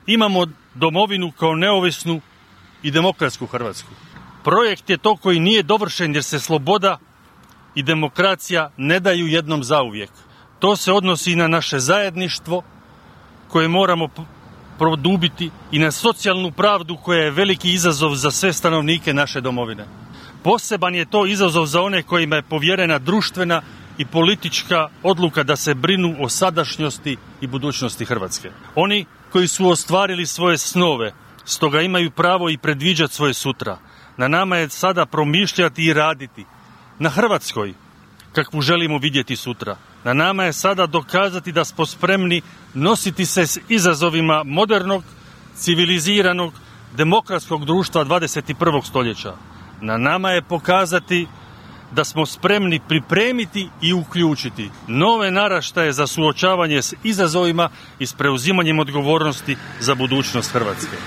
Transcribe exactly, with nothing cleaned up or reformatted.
imamo domovinu kao neovisnu i demokratsku Hrvatsku. Projekt je to koji nije dovršen jer se sloboda i demokracija ne daju jednom zauvijek. To se odnosi i na naše zajedništvo koje moramo produbiti i na socijalnu pravdu koja je veliki izazov za sve stanovnike naše domovine. Poseban je to izazov za one kojima je povjerena društvena i politička odluka da se brinu o sadašnjosti i budućnosti Hrvatske. Oni koji su ostvarili svoje snove, stoga imaju pravo i predviđati svoje sutra. Na nama je sada promišljati i raditi na Hrvatskoj kakvu želimo vidjeti sutra. Na nama je sada dokazati da smo spremni nositi se s izazovima modernog, civiliziranog, demokratskog društva dvadeset prvog stoljeća. Na nama je pokazati da smo spremni pripremiti i uključiti nove naraštaje za suočavanje s izazovima i s preuzimanjem odgovornosti za budućnost Hrvatske.